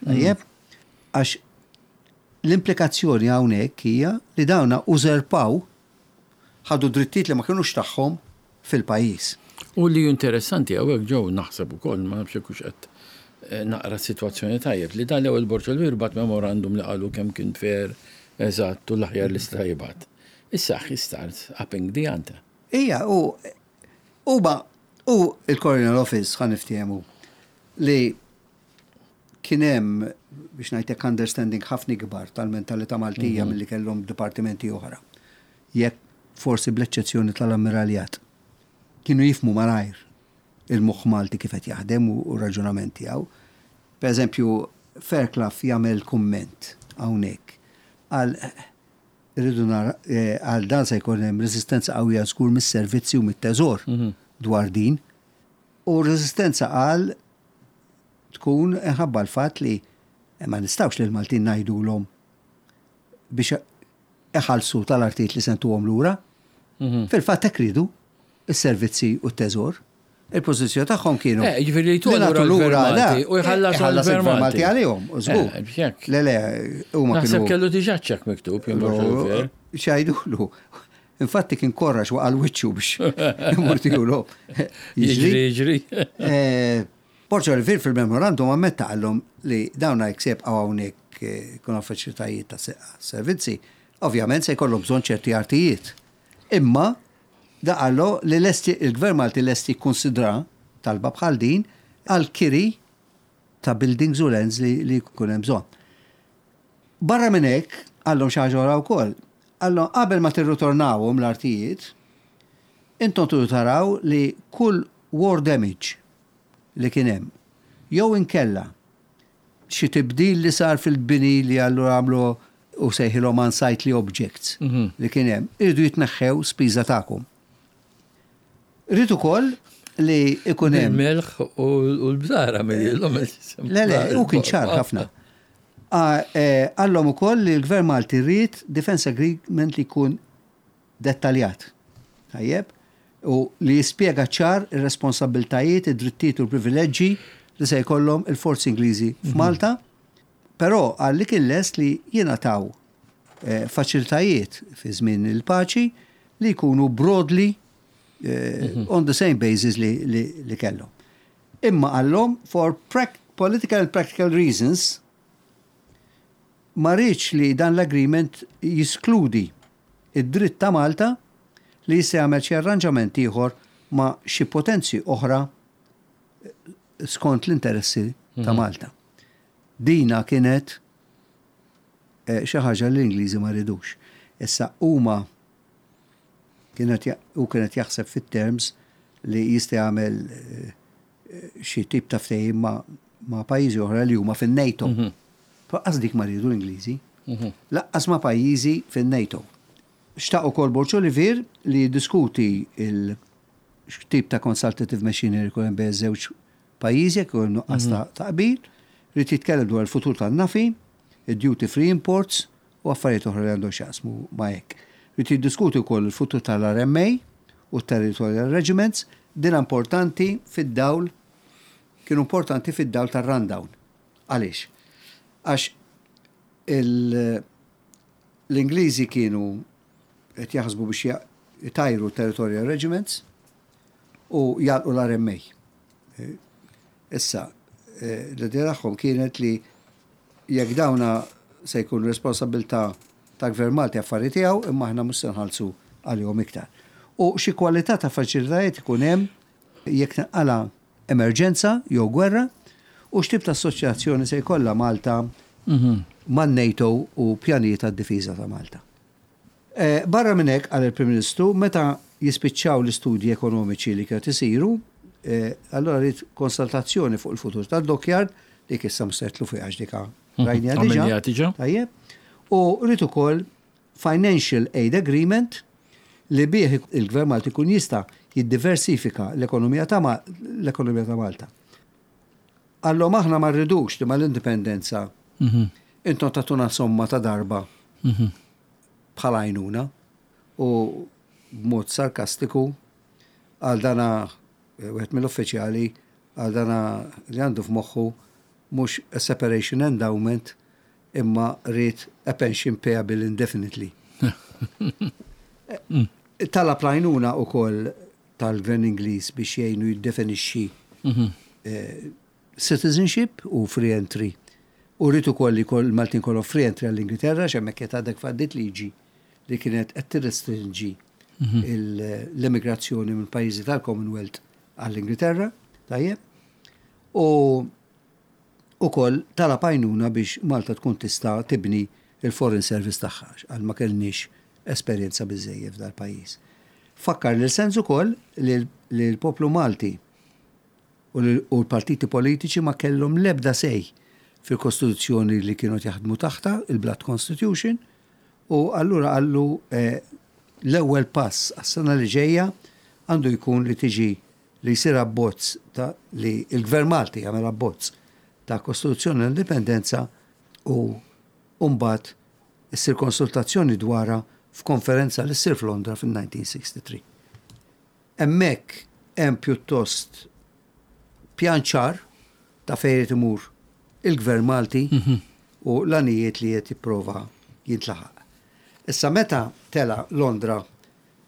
Tajjeb, għax l-implikazzjoni hawnhekk hija li dawna użerpaw ħadu drittijiet li ma kinux tagħhom fil-pajjiż. U li interessanti hawnhekk ġew naħseb ukoll ma nafx hekk hux qed naqra s-sitwazzjoni tajjeb li dan l-ewwel Borg Olivier bagħat memorandum li qalu kemm kien fair, eżatt u l-aħjar li seta' jibgħat. Issa he starts upping the ante. Ija, u huma u il-Colonial Office ħa niftehmu li kien hemm biex ngħidlek understanding ħafna ikbar tal-mentalità Maltija milli kellhom dipartimenti oħra. Jekk forsi bl-eċċezzjoni tal-ammiraljat. Kienu jifhmu malajr il-moħħ Malti kif qed jaħdem u r-raġunament tiegħu. Per eżempju, Fairclough jagħmel kumment hawnhekk għal irridu nara għal dan se jkun hemm reżistenza qawwija żgur mis-servizzi u mit-teżor dwar din. U reżistenza qal tkun inħabba l-fatt li ma nistgħux lil Maltin ngħidulhom biex iħallsu tal-artijiet li sentuhom lura. Fil-fatt hekk ridu. Is-servizzi u t-teżor. Il-pożizzjoni tagħhom kienu. Eh, jiġifieri li jtuha lura l-Gvern Malti u jħallas il-Gvern Malti għalihom, u żgur. Eh, le, le, huma kienu. Naħseb kellu diġà ċekk miktub jien X'għidulu. Infatti kien korrax waqa' l-wiċċu biex imur tijulu. Jiġri, jiġri. Eh, Borġ Olivier fil-memorandum ammetta qallhom li dawn jekk se jibqgħu hawnhekk jkunu faċilitajiet ta' servizzi, ovvjament se jkollhom bżonn ċerti artijiet. Imma da qallu li lest il-Gvern Malti lest jikkunsidra talba bħal din għal kiri ta' buildings u lands li, li jkun hemm bżonn. Barra minn hekk, qallhom xi ħaġa oħra wkoll. Qallhom qabel ma tirritornawhom l-artijiet, intom tridu taraw li kull war damage li kien hemm, jew inkella xi tibdil li sar fil-bini li allura għamlu u sejħilhom unsightly objects li kien hemm, iridu jitneħħew spiża tagħkom. Ried ukoll li ikun hemm. Il-melħ u l-bżara mill-ilhom. Le, le, u kien ċar ħafna. Qallhom ukoll li l-Gvern Malti ried defence agreement li jkun dettaljat, tajjeb, u li jispjega ċar ir-responsabbiltajiet, id-drittijiet u l-privileġġi li se jkollhom il-forzi Ingliżi f'Malta, però qal li kien lest li jingħataw faċilitajiet fi żmien il-paċi li jkunu broadly on the same basis li kellhom. Imma qallhom for political and practical reasons ma riedx li dan l-agreement jiskludi id-dritt ta' Malta li jista' jagħmel xi arranġament ieħor ma' xi potenzi oħra skont l-interessi ta' Malta. Dina kienet xi ħaġa li l-Ingliżi ma ridux. Issa huma kienet hu kienet jaħseb fit-terms li jista' jagħmel xi tip ta' ftehim ma' ma' pajjiżi oħra li huma fin-NATO. Lanqas dik ma riedu l-Ingliżi. Lanqas ma' pajjiżi fin-NATO. Xtaq ukoll Borg Olivier li jiddiskuti il x'tip ta' consultative machinery jkun hemm bejn iż-żewġ pajjiżi jekk ikun hemm nuqqas ta' qbil. Ried jitkellem dwar il-futur tan-NAFI, id-duty free imports u affarijiet oħra li għandhom x'jaqsmu ma' hekk. Ried jiddiskuti wkoll il-futur tal-RMA u t-Territorial Regiments, din importanti fid-dawl kienu importanti fid-dawl tar-rundown. Għaliex? Għax l-Ingliżi kienu qed jaħsbu biex jtajru Territorial Regiments u jagħlqu l-RMA. Issa, l-idea tagħhom kienet li jekk dawna se jkun responsabilità ta' Gvern Malti affari tiegħu imma aħna mhux se nħallsu għalihom iktar. U xi kwalità ta' faċilitajiet ikun hemm jekk tinqala' emerġenza jew gwerra u x'tip ta' assoċjazzjoni se jkollha Malta man-NATO u pjanijiet għad-difiża ta' Malta. Barra minn hekk, qal il-Prim Ministru, meta jispiċċaw l-istudji ekonomiċi li kienu qed isiru, allura ried konsultazzjoni fuq il-futur tad-dockyard, dik issa mhux se nidħlu fiha għax dik rajniha diġà. Tajjeb. U ried ukoll Financial Aid Agreement li bih il-Gvern Malti jkun jista' jiddiversifika l-ekonomija ta' l-ekonomija ta' Malta. Qallhom aħna ma rridux li mal-indipendenza intom tagħtuna somma ta' darba bħala għajnuna u b'mod sarkastiku għal dana wieħed mill-uffiċjali għal dana li għandu f'moħħu mhux a separation endowment imma ried a pension payable indefinitely. Talab l-għajnuna wkoll tal-Gvern Ingliż biex jgħinu jiddefinixxi citizenship u free entry. U rrid ukoll li l-Maltin kollhom free entry għall-Ingilterra għax hemmhekk qed għadek faddiet liġi li kienet qed tirrestrinġi l-immigrazzjoni minn pajjiżi tal-Commonwealth għall-Ingilterra, tajjeb. U ukoll talab għajnuna biex Malta tkun tista' tibni l-Foreign Service tagħha għax qal ma kellniex esperjenza biżżejjed f'dal-pajjiż. Fakkar lil Sands ukoll li l-poplu Malti u l-partiti politiċi ma kellhom l-ebda say fil-Kostituzzjoni li kienu qed jaħdmu taħtha, il-Blood Constitution, u allura qallu l-ewwel pass għas-sena li ġejja għandu jkun li tiġi li jsir abbozz ta' li l-Gvern Malti jagħmel abbozz ta' Kostituzzjoni l-Indipendenza u mbagħad issir konsultazzjoni dwarha f'konferenza li ssir f'Londra fil-1963. Hemmhekk hemm pjuttost pjan ċar ta' fejn irid imur il-Gvern Malti u l-għanijiet li qed jipprova jintlaħaq. Issa meta tela' Londra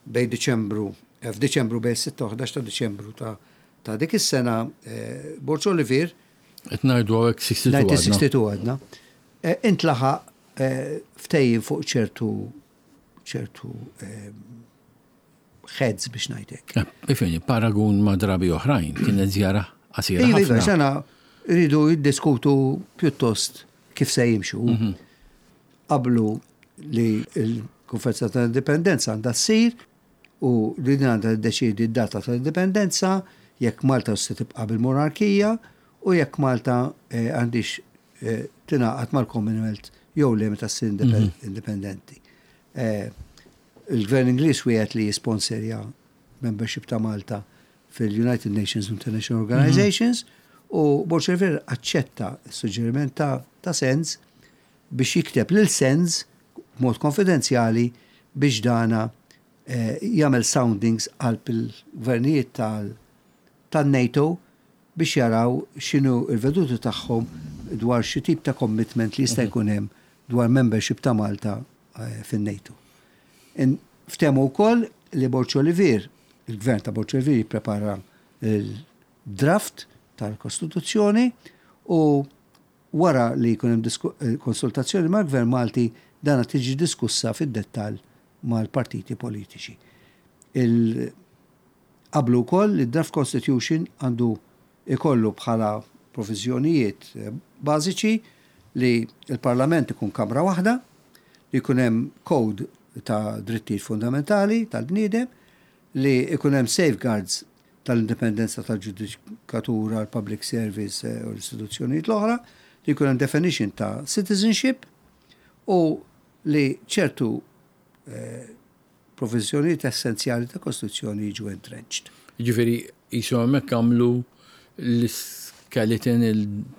bejn Diċembru, f'Diċembru bejn is-sitta u 11 ta' Diċembru ta' ta' dik is-sena, Borg Olivier, Qed ngħidu hawnhekk 62 għadna. 1962 għadna, intlaħaq ftehim fuq ċertu ċertu heads biex ngħid hekk. Ifhimni, paragun ma' drabi oħrajn, kienet żjara qasira Iva, ħafna. sena rridu jiddiskutu pjuttost kif se jimxu. Qablu li l-Konferenza tal-Indipendenza għandha ssir u li din għandha tiddeċiedi d-data tal-Indipendenza, jekk Malta se tibqa' bil-monarkija u jekk Malta għandhiex tingħaqad mal-Commonwealth jew le meta ssir indipendenti. Il-Gvern Ingliż wiegħed li jisponserja membership ta' Malta fil-United Nations International Organizations u Borg Olivier aċċetta s-suġġeriment ta' Sands biex jikteb lil Sands b'mod konfidenzjali biex dana jagħmel soundings qalb il-gvernijiet tan-NATO biex jaraw x'inhu l-veduti tagħhom dwar xi tip ta' commitment li jista' jkun hemm dwar membership ta' Malta fin-NATO. Ftehmu wkoll li Borg Olivier, il-gvern ta' Borg Olivier jipprepara l-draft tal-Kostituzzjoni u wara li jkun hemm konsultazzjoni mal-Gvern Malti dana tiġi diskussa fid-dettall mal-partiti politiċi. Qablu wkoll li d-draft constitution għandu jkollu bħala proviżjonijiet bażiċi li l-Parlament ikun kamra waħda, li jkun hemm code ta' drittijiet fundamentali tal-bniedem, li jkun hemm safeguards tal-indipendenza tal-ġudikatura, l-public service u l-istituzzjonijiet l-oħra, li jkun hemm definition ta' citizenship u li ċertu proviżjonijiet essenzjali ta' Kostituzzjoni jiġu entrenched. Jiġifieri qisu hemmhekk għamlu l-skeleton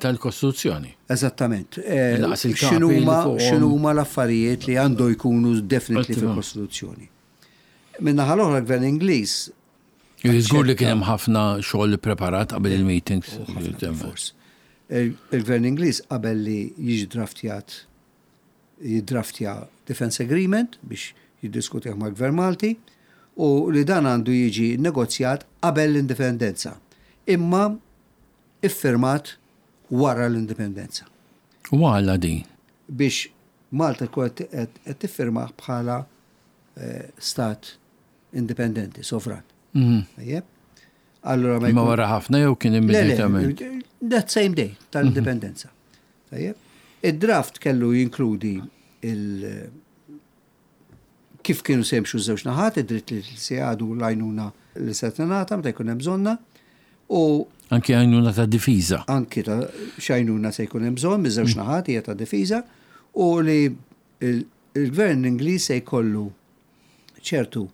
tal-Kostituzzjoni. Eżattament. X'inhuma x'inhuma l-affarijiet li għandu jkunu definitely fil-Kostituzzjoni. Min-naħa l-oħra l-Gvern Ingliż Żgur li kien hemm ħafna xogħol ippreparat qabel il-meetings. Fors. Il-Gvern Ingliż qabel li jiġi draftjat jiddraftja Defence Agreement biex jiddiskutih mal-Gvern Malti u li dan għandu jiġi nnegozjat qabel l-Indipendenza, imma iffirmat wara l-Indipendenza. U għala din? Biex Malta tkun qed tiffirmah bħala stat indipendenti, sovran. Tajjeb? Allura ma wara ħafna jew kien immedjatament? That same day tal-indipendenza. Tajjeb. Id-draft kellu jinkludi il kif kienu se jimxu ż-żewġ naħat, id-dritt li se jgħadu l-għajnuna li se tingħata meta jkun hemm bżonnha u Anki għajnuna ta' difiża. Anki ta' x'għajnuna se jkun hemm bżonn miż-żewġ naħat hija ta' difiża u li l-gvern Ingliż se jkollu ċertu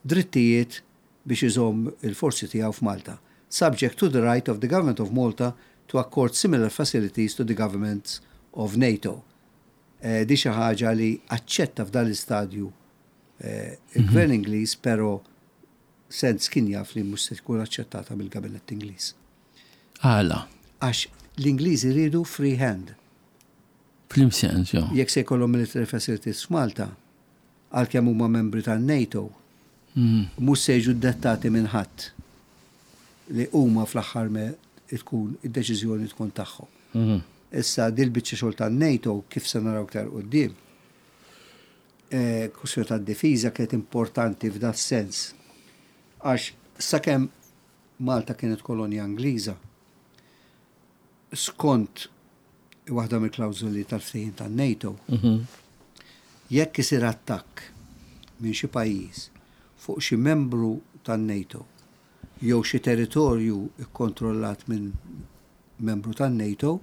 drittijiet biex iżomm il-forzi tiegħu f'Malta, subject to the right of the Government of Malta to accord similar facilities to the governments of NATO. Di xi ħaġa li aċċetta f'dan l-istadju il-Gvern Ingliż però Sands kien jaf li mhux se tkun aċċettata mill-Gabinett Ingliż. Għala? Għax l-Ingliżi riedu free hand. F'liem sens, jo? Jekk se jkollhom military facilities f'Malta, għalkemm huma membri tan-NATO, mhux se jiġu ddettati minn ħadd li huma fl-aħħar me tkun id-deċiżjoni tkun tagħhom. Issa dil-biċċa xogħol tan-NATO kif se naraw iktar quddiem, kwistjoni tad-difiża kienet importanti f'da sens għax sakemm Malta kienet kolonja Ingliża, skont waħda mill-klawżoli tal-ftehim tan-NATO, jekk isir attakk minn xi pajjiż fuq xi membru tan-NATO jew xi territorju kkontrollat minn membru tan-NATO,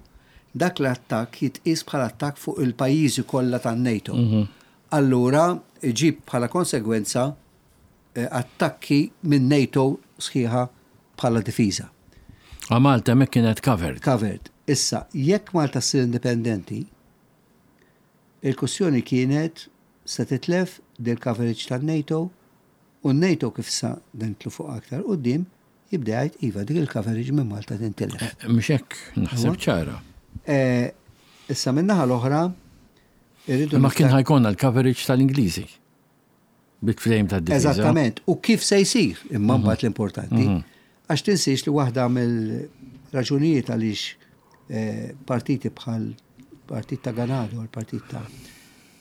dak l-attakk jitqies bħala attakk fuq il-pajjiżi kollha tan-NATO. Allura iġib bħala konsegwenza attakki minn NATO sħiħa bħala difiża. A Malta hemmhekk kienet covered. Covered. Issa, jekk Malta ssir indipendenti, il-kwistjoni kienet se titlef dil-coverage tan-NATO U n-NATO kif sa nidħlu fuq aktar quddiem jibda jgħid iva dik il-coverage minn Malta tintilef. Eh, mhux hekk naħseb ċara. Eh, issa min-naħa l-oħra irridu. Ma kien ħa jkollna l-coverage tal-Ingliżi. Bit-frame tad-difiża. Eżattament. U kif se jsir imma mhm. mbagħad l-importanti. Mhm. Għax tinsiex li waħda mill-raġunijiet għaliex eh, partiti bħal partit ta' Ganado, l-partit ta'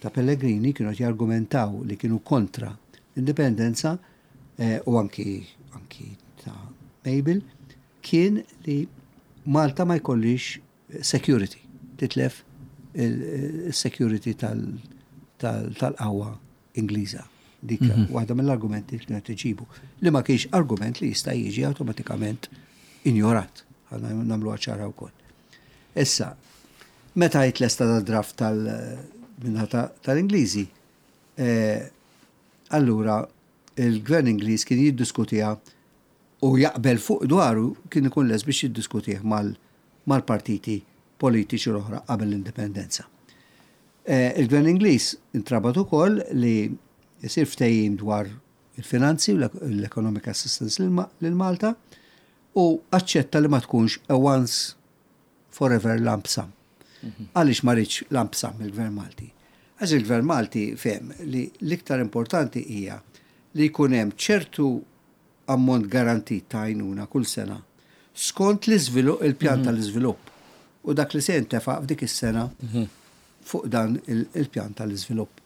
ta' Pellegrini kienu qed jargumentaw li kienu kontra l-indipendenza eh, u anki anki ta' Mabel kien li Malta ma jkollix security, titlef il-security tal-qawwa Ingliża. Dik mhm. waħda mill-argumenti li kienet iġibu. Li ma kienx argument li jista' jiġi awtomatikament injorat. Għandna nagħmlu ċara wkoll. Issa, meta jitlesta da draft tal-minna tal-Ingliżi, eh, allura il-gvern Ingliż kien jiddiskutiha u jaqbel fuq dwaru kien ikun lest biex jiddiskutih mal-partiti politiċi l-oħra qabel l-indipendenza. Eh, il-Gvern Ingliż intrabat ukoll li jsir ftehim dwar il-finanzi u l-economic assistance lil Malta u aċċetta li ma tkunx a once forever lump sum. Mhm. Għaliex ma riedx lump sum il-Gvern Malti? Għax il-Gvern Malti fehem li l-iktar importanti hija li jkun hemm ċertu ammont garantit ta' għajnuna kull sena skont l-iżvilupp il-pjan mhm. tal-iżvilupp u dak li se jintefa' f'dik is-sena mhm. fuq dan il-pjan tal-iżvilupp.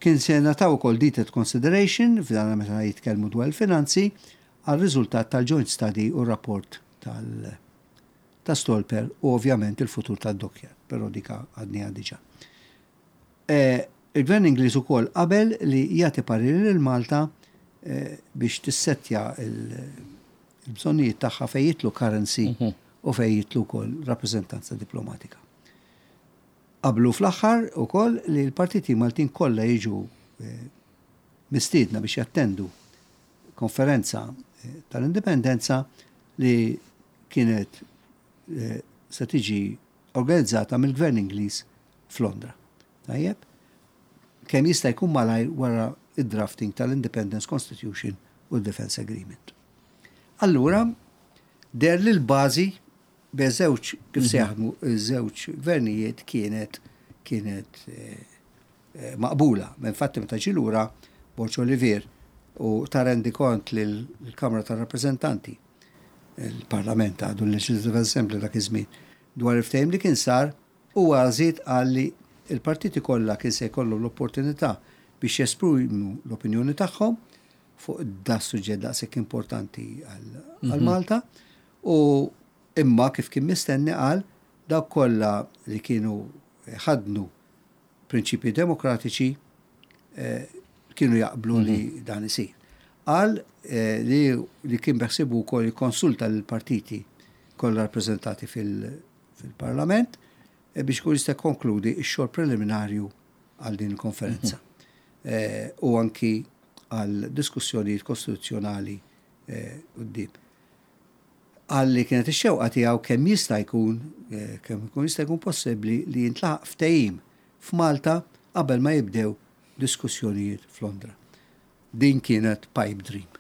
Kien se nataw ukoll detailed consideration f'dan meta jitkellmu dwar il-finanzi għal riżultat tal-joint study u rapport tal- ta' Stolper u ovvjament il-futur tad-dockyard, però dika għadniha diġà. E, il-Gvern Ingliż ukoll qabel li jagħti pariri lil Malta e, biex tissettja il-bżonnijiet tagħha fejn jidħlu currency mhm. u fejn jidħlu wkoll rappreżentanza diplomatika. Qablu fl-aħħar ukoll li l-partiti Maltin kollha jiġu e, mistiedna biex jattendu konferenza tal-indipendenza li kienet eh, se tiġi organizzata mill-Gvern Ingliż f'Londra. Tajjeb? Kemm jista' jkun malajr wara id-drafting tal-Independence Constitution u l-Defense Agreement. Allura, deher li l-bażi bejn żewġ kif se mhm. jaħdmu żewġ gvernijiet kienet kienet eh, eh, maqbula. Infatti meta ġie lura Borg Olivier u ta rendikont lill-Kamra tar-Rappreżentanti il-Parlament għadu l-Legislative Assembly dak iż-żmien dwar il-ftehim li kien sar huwa żied qal li l-partiti kollha kien se jkollhom l-opportunità biex jesprimu l-opinjoni tagħhom fuq da suġġett daqshekk importanti għal mhm. Malta u imma kif kien mistenni qal dawk kollha li kienu ħadnu prinċipji demokratiċi eh, kienu jaqblu li mhm. dan isir. Qal eh, li, li kien beħsibu wkoll jikkonsulta lill-partiti kollha rappreżentati fil-Parlament eh, biex kun jista' konkludi x-xogħol preliminarju għal din il-konferenza. Mhm. U anki għal diskussjonijiet kostituzzjonali quddiem. Qal li kienet ix-xewqa tiegħu kemm jista' jkun, kemm ikun jista' jkun possibbli li jintlaħaq ftehim f'Malta qabel ma jibdew diskussjonijiet f'Londra. Din kienet pipe dream.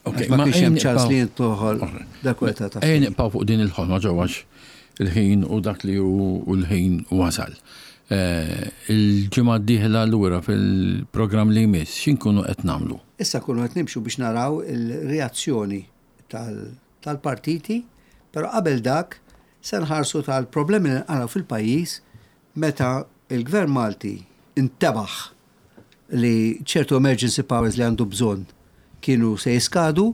Ok, ma kienx hemm ċans li jintlaħol dak ta' Ejja nibqgħu fuq din il-ħolma ġewwa il-ħin u dak li hu l-ħin wasal. Eh, il-ġimgħa d-dieħla lura fil-programm li jmiss, x'inkunu qed nagħmlu? Issa nkunu qed nimxu biex naraw il-reazzjoni tal-partiti, però qabel dak se nħarsu tal-problemi li nqalgħu fil-pajjiż meta il-Gvern Malti intebaħ li ċertu emergency powers li għandu bżonn kienu se jiskadu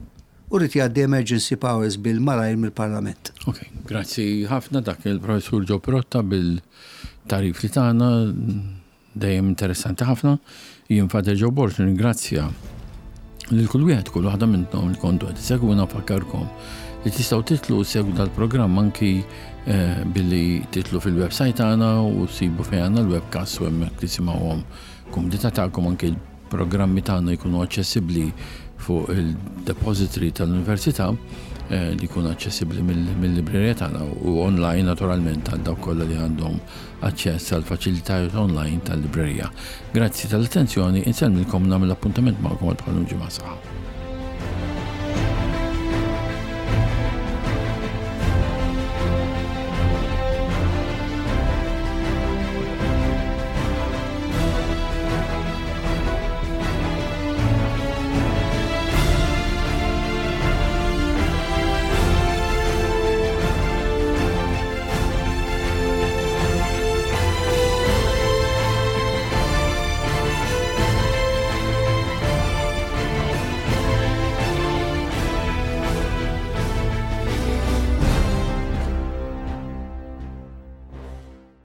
u ried jgħaddi emergency powers bil-malajr mill-Parlament. Ok, grazzi ħafna dak il-Professur Joe Pirotta bil-tagħrif li tana dejjem interessanti ħafna. Jien Father Joe Borg nirringrazzja lil kull wieħed kull waħda minnkom li kontu qed isegwuna fakkarkom li tistgħu titlu segwu dal-programm anki eh, billi titlu fil-website tagħna u sibu fejn għandna l-webcast u hemmhekk tisimgħuhom kumdità tagħkom anki l-programmi tagħna jkunu aċċessibbli fuq il-depository tal-Università. eh, li jkun aċċessibbli mill-librerija tagħna u online naturalment għal dawk kollha li għandhom aċċess għal faċilitajiet online tal-librerija. Grazzi tal-attenzjoni, insellmilkom nagħmel appuntament magħkom għal bħal ġimgħa saħħa.